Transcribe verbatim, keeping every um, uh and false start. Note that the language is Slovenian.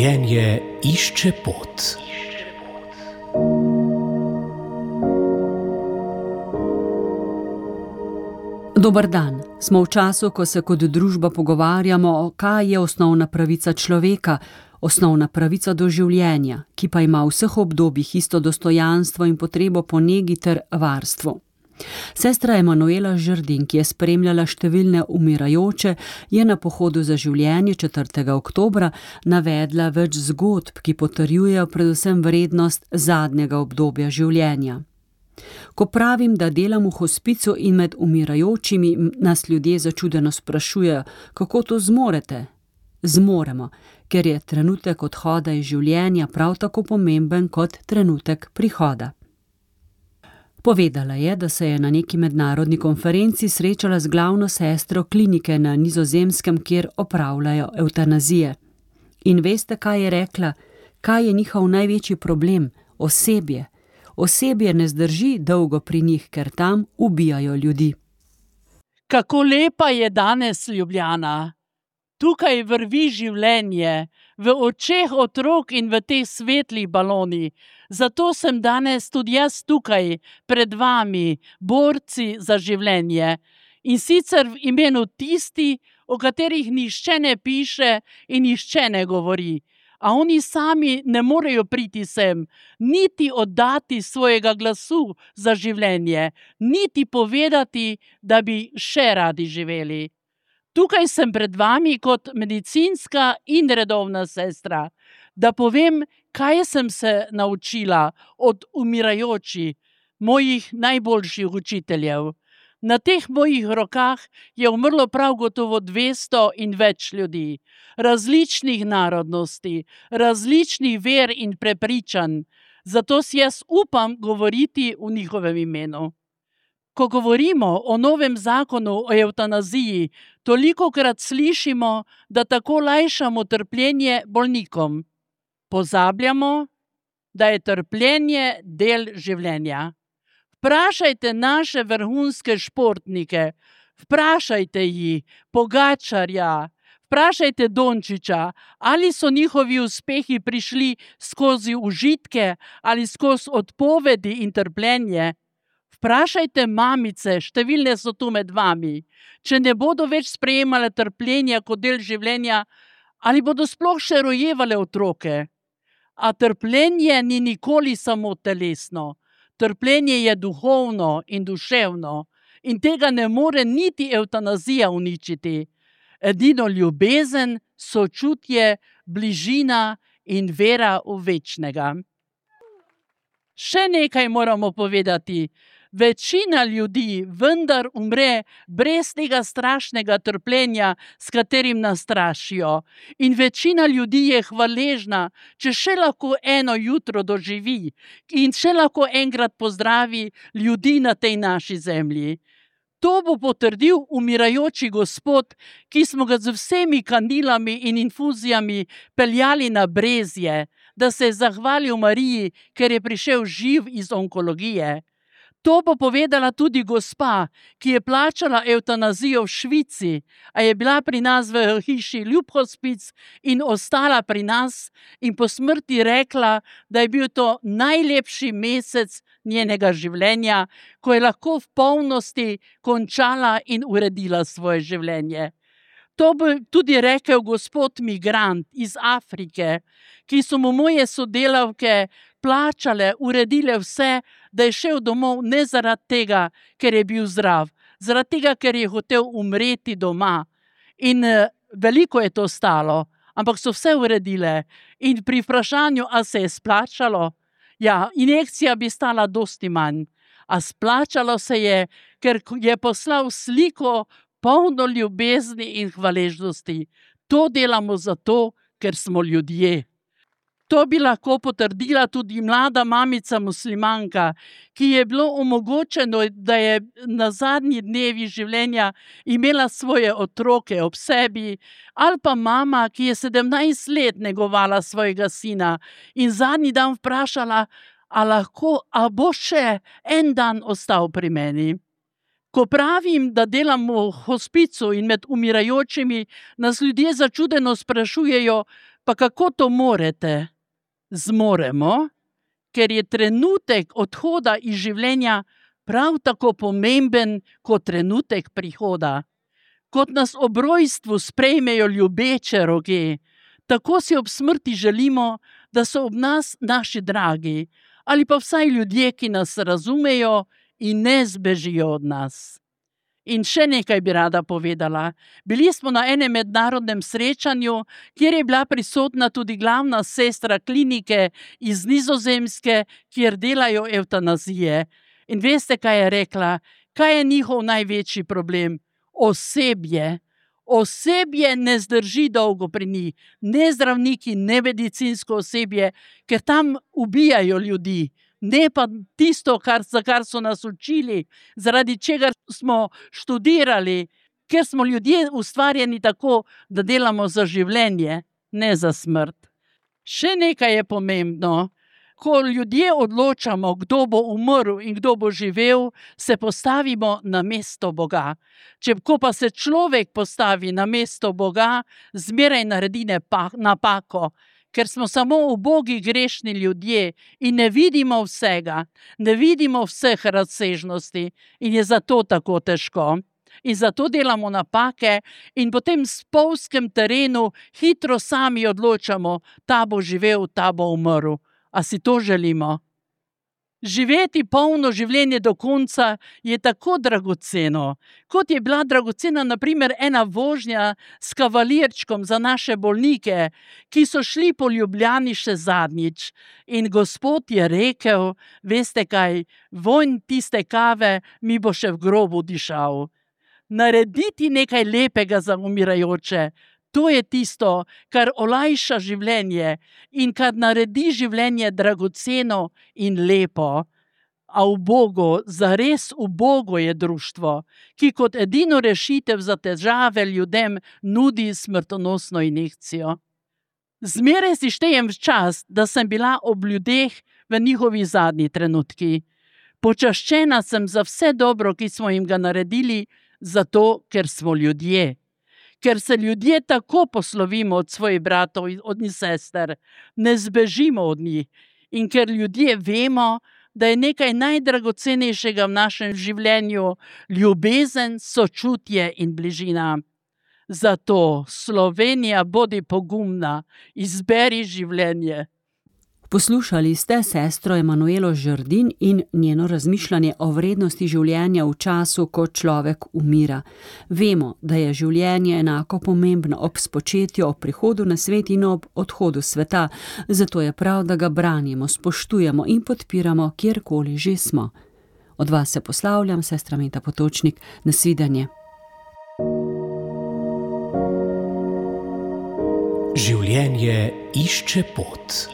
Življenje išče pot. Dober dan. Smo v času, ko se kot družba pogovarjamo, kaj je osnovna pravica človeka, osnovna pravica do življenja, ki pa ima v vseh obdobjih isto dostojanstvo in potrebo po negi ter varstvu. Sestra Emanuela Žerdin, ki je spremljala številne umirajoče, je na pohodu za življenje četrtega oktobra navedla več zgodb, ki potrjujejo predvsem vrednost zadnjega obdobja življenja. Ko pravim, da delam v hospicu in med umirajočimi, nas ljudje začudeno sprašujejo, kako to zmorete? Zmoremo, ker je trenutek odhoda iz življenja prav tako pomemben kot trenutek prihoda. Povedala je, da se je na neki mednarodni konferenci srečala z glavno sestro klinike na Nizozemskem, kjer opravljajo evtanazije. In veste, kaj je rekla? Kaj je njihov največji problem? Osebje. Osebje ne zdrži dolgo pri njih, ker tam ubijajo ljudi. Kako lepa je danes Ljubljana. Tukaj vrvi življenje, v očeh otrok in v teh svetlih balonih. Zato sem danes tudi jaz tukaj, pred vami, borci za življenje. In sicer v imenu tisti, o katerih nihče ne piše in nihče ne govori. A oni sami ne morejo priti sem, niti oddati svojega glasu za življenje, niti povedati, da bi še radi živeli. Tukaj sem pred vami kot medicinska in redovna sestra, da povem, kaj sem se naučila od umirajočih, mojih najboljših učiteljev. Na teh mojih rokah je umrlo prav gotovo dvesto in več ljudi, različnih narodnosti, različnih ver in prepričanj, zato si jaz upam govoriti v njihovem imenu. Ko govorimo o novem zakonu o evtanaziji, tolikokrat slišimo, da tako lajšamo trpljenje bolnikom. Pozabljamo, da je trpljenje del življenja. Vprašajte naše vrhunske športnike, vprašajte jih, Pogačarja, vprašajte Dončića, ali so njihovi uspehi prišli skozi užitke ali skozi odpovedi in trpljenje. Vprašajte mamice, številne so tu med vami, če ne bodo več sprejemale trpljenja kot del življenja, ali bodo sploh še rojevale otroke. A trpljenje ni nikoli samo telesno. Trpljenje je duhovno in duševno in tega ne more niti evtanazija uničiti. Edino ljubezen, sočutje, bližina in vera v večnega. Še nekaj moramo povedati. Večina ljudi vendar umre brez tega strašnega trpljenja, s katerim nas strašijo. In večina ljudi je hvaležna, če še lahko eno jutro doživi in še lahko enkrat pozdravi ljudi na tej naši zemlji. To bo potrdil umirajoči Gospod, ki smo ga z vsemi kandilami in infuzijami peljali na Brezje, da se je zahvalil Mariji, ker je prišel živ iz onkologije. To bo povedala tudi gospa, ki je plačala evtanazijo v Švici, a je bila pri nas v hiši Ljub hospic in ostala pri nas in po smrti rekla, da je bil to najlepši mesec njenega življenja, ko je lahko v polnosti končala in uredila svoje življenje. To bi tudi rekel gospod migrant iz Afrike, ki so mu moje sodelavke plačale, uredile vse, da je šel domov ne zaradi tega, ker je bil zdrav, zaradi tega, ker je hotel umreti doma. In veliko je to stalo, ampak so vse uredile. In pri vprašanju, a se je splačalo, ja, injekcija bi stala dosti manj, a splačalo se je, ker je poslal sliko polno ljubezni in hvaležnosti. To delamo zato, ker smo ljudje. To bi lahko potrdila tudi mlada mamica muslimanka, ki je bilo omogočeno, da je na zadnji dnevi življenja imela svoje otroke ob sebi, ali pa mama, ki je sedemnajst let negovala svojega sina in zadnji dan vprašala, a lahko, a bo še en dan ostal pri meni. Ko pravim, da delamo v hospicu in med umirajočimi, nas ljudje začudeno sprašujejo, Pa kako to morete? Zmoremo, ker je trenutek odhoda iz življenja prav tako pomemben kot trenutek prihoda. Kot nas ob rojstvu sprejmejo ljubeče roge, tako si ob smrti želimo, da so ob nas naši dragi, ali pa vsaj ljudje, ki nas razumejo in ne zbežijo od nas. In še nekaj bi rada povedala. Bili smo na enem mednarodnem srečanju, kjer je bila prisotna tudi glavna sestra klinike iz Nizozemske, kjer delajo evtanazije. In veste, kaj je rekla? Kaj je njihov največji problem? Osebje. Osebje ne zdrži dolgo pri njih. Ne zdravniki, ne medicinsko osebje, ker tam ubijajo ljudi. Ne pa tisto, kar, za kar so nas učili, zaradi čega smo študirali, ker smo ljudje ustvarjeni tako, da delamo za življenje, ne za smrt. Še nekaj je pomembno. Ko ljudje odločamo, kdo bo umrl in kdo bo živel, se postavimo na mesto Boga. Če ko pa se človek postavi na mesto Boga, zmeraj naredi napako, ker smo samo ubogi grešni ljudje in ne vidimo vsega, ne vidimo vseh razsežnosti in je zato tako težko. In zato delamo napake in potem v spolzkem terenu hitro sami odločamo, ta bo živel, ta bo umrl. A si to želimo? Živeti polno življenje do konca je tako dragoceno, kot je bila dragocena na primer ena vožnja s kavalirčkom za naše bolnike, ki so šli po Ljubljani še zadnjič. In Gospod je rekel, veste kaj, vonj tiste kave mi bo še v grobu dišal. Narediti nekaj lepega za umirajoče, to je tisto, kar olajša življenje in kar naredi življenje dragoceno in lepo. A ubogo, zares ubogo je društvo, ki kot edino rešitev za težave ljudem nudi smrtonosno injekcijo. Zmeraj si štejem čas, da sem bila ob ljudeh v njihovi zadnji trenutki. Počaščena sem za vse dobro, ki smo jim ga naredili, zato ker smo ljudje. Ker se ljudje tako poslovimo od svojih bratov in od njih sester, ne zbežimo od njih. In ker ljudje vemo, da je nekaj najdragocenejšega v našem življenju ljubezen, sočutje in bližina. Zato, Slovenija, bodi pogumna, izberi življenje. Poslušali ste sestro Emanuelo Žerdin in njeno razmišljanje o vrednosti življenja v času, ko človek umira. Vemo, da je življenje enako pomembno ob spočetju, ob prihodu na svet in ob odhodu sveta, zato je prav, da ga branimo, spoštujemo in podpiramo, kjerkoli že smo. Od vas se poslavljam, sestra Meta Potočnik, nasvidenje. Življenje išče pot.